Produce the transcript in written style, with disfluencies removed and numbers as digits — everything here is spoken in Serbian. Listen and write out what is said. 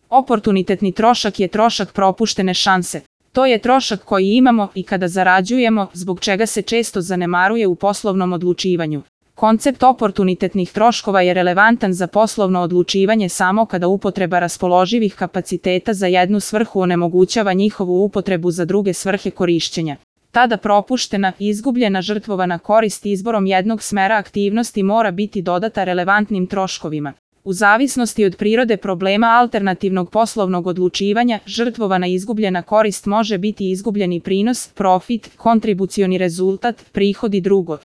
Oportunitetni trošak je trošak propuštene šanse. To je trošak koji imamo i kada zarađujemo, zbog čega se često zanemaruje u poslovnom odlučivanju. Koncept oportunitetnih troškova je relevantan za poslovno odlučivanje samo kada upotreba raspoloživih kapaciteta za jednu svrhu onemogućava njihovu upotrebu za druge svrhe korišćenja. Tada propuštena, izgubljena, žrtvovana korist izborom jednog smera aktivnosti mora biti dodata relevantnim troškovima. U zavisnosti od prirode problema alternativnog poslovnog odlučivanja, žrtvovana izgubljena korist može biti izgubljeni prinos, profit, kontribucioni rezultat, prihod i drugo.